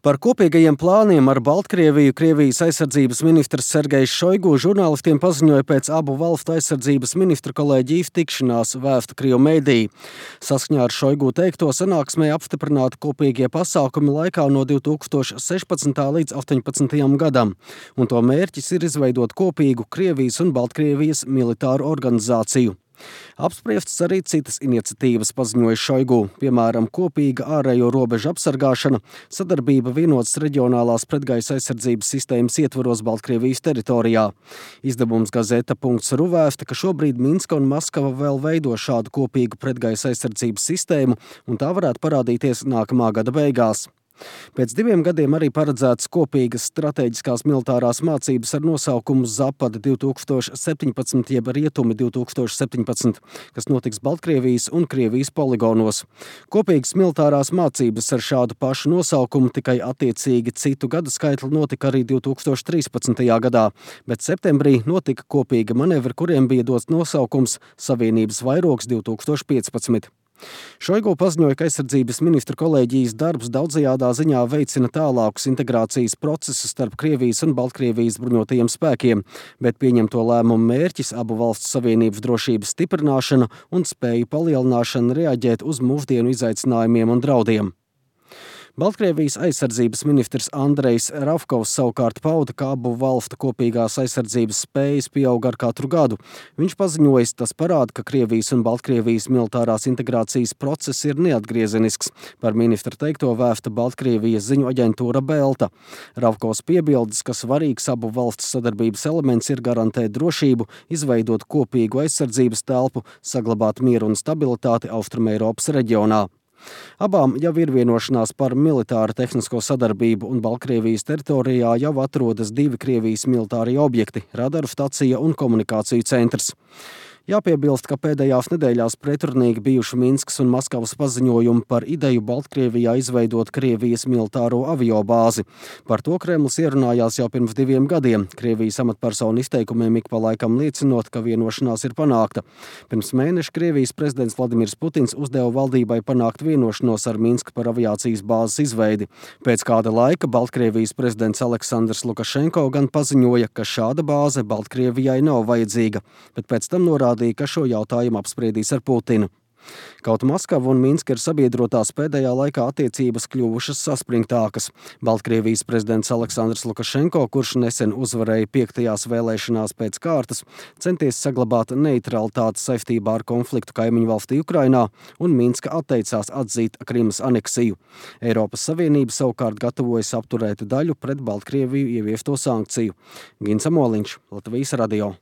Par kopīgajiem plāniem ar Baltkrieviju Krievijas aizsardzības ministrs Sergejs Šoigu žurnālistiem paziņoja pēc abu valstu aizsardzības ministru kolēģiju tikšanās, vēsta Krievu mediji. Saskaņā ar Šoigu teikto sanāksmē apstiprināti kopīgie pasākumi laikā no 2016. līdz 2018. gadam, un to mērķis ir izveidot kopīgu Krievijas un Baltkrievijas militāru organizāciju. Apspriestas arī citas iniciatīvas, paziņoja Šoigu, piemēram, kopīga ārējo robežu apsargāšana, sadarbība vienotas reģionālās pretgaisa aizsardzības sistēmas ietvaros Baltkrievijas teritorijā. Izdevums Gazeta.ru vēsta, ka šobrīd Minska un Maskava vēl veido šādu kopīgu pretgaisa aizsardzības sistēmu, un tā varētu parādīties nākamā gada beigās. Pēc 2 gadiem arī paredzētas kopīgas strateģiskās militārās mācības ar nosaukumu Zapad 2017 jeb Rietumi 2017, kas notiks Baltkrievijas un Krievijas poligonos. Kopīgas militārās mācības ar šādu pašu nosaukumu, tikai attiecīgi citu gadu skaitli, notika arī 2013. gadā, bet septembrī notika kopīga manevri, kuriem bija dots nosaukums Savienības vairogs 2015. Šoigu paziņoja, ka aizsardzības ministru kolēģijas darbs daudzajādā ziņā veicina tālākus integrācijas procesus starp Krievijas un Baltkrievijas bruņotajiem spēkiem, bet pieņemto lēmumu mērķis abu valstu savienības drošības stiprināšana un spēju palielināšana reaģēt uz mūsdienu izaicinājumiem un draudiem. Baltkrievijas aizsardzības ministrs Andrejs Ravkovs savukārt pauda, ka abu valstu kopīgās aizsardzības spējas pieaug ar katru gadu. Viņš paziņojis, tas parāda, ka Krievijas un Baltkrievijas militārās integrācijas process ir neatgriezenisks. Par ministra teikto vēsta Baltkrievijas ziņu aģentūra Belta. Ravkovs piebildes, ka svarīgs abu valstu sadarbības elements ir garantēt drošību, izveidot kopīgu aizsardzības telpu, saglabāt mieru un stabilitāti Austrumeiropas reģionā. Abām jau ir vienošanās par militāru tehnisko sadarbību, un Baltkrievijas teritorijā jau atrodas 2 Krievijas militārie objekti – radaru stacija un komunikāciju centrs. Jāpiebilst, ka pēdējās nedēļās pretrunīgi bijuši Minskas un Maskavas paziņojumi par ideju Baltkrievijā izveidot Krievijas militāro aviobāzi. Par to Kremlis ierunājās jau pirms 2 gadiem, Krievijas amatpersonu izteikumiem ik pa laikam liecinot, ka vienošanās ir panākta. Pirms mēneša Krievijas prezidents Vladimirs Putins uzdeva valdībai panākt vienošanos ar Minsku par aviācijas bāzes izveidi. Pēc kāda laika Baltkrievijas prezidents Aleksandrs Lukašenko gan paziņoja, ka šāda bāze Baltkrievijai nav vajadzīga, bet pēc tam norādīja, ka šo jautājumu apspriedīs ar Putinu. Kaut Maskava un Minska ir sabiedrotās, pēdējā laikā attiecības kļuvušas saspringtākas. Baltkrievijas prezidents Aleksandrs Lukašenko, kurš nesen uzvarēja 5. vēlēšanās pēc kārtas, centies saglabāt neitralitāti saistībā ar konfliktu kaimiņu valstī Ukrainā, un Minska atteicās atzīt Krimas aneksiju. Eiropas Savienība savukārt gatavojas apturēt daļu pret Baltkrieviju ieviesto sankciju. Gins Amoliņš, Latvijas radio.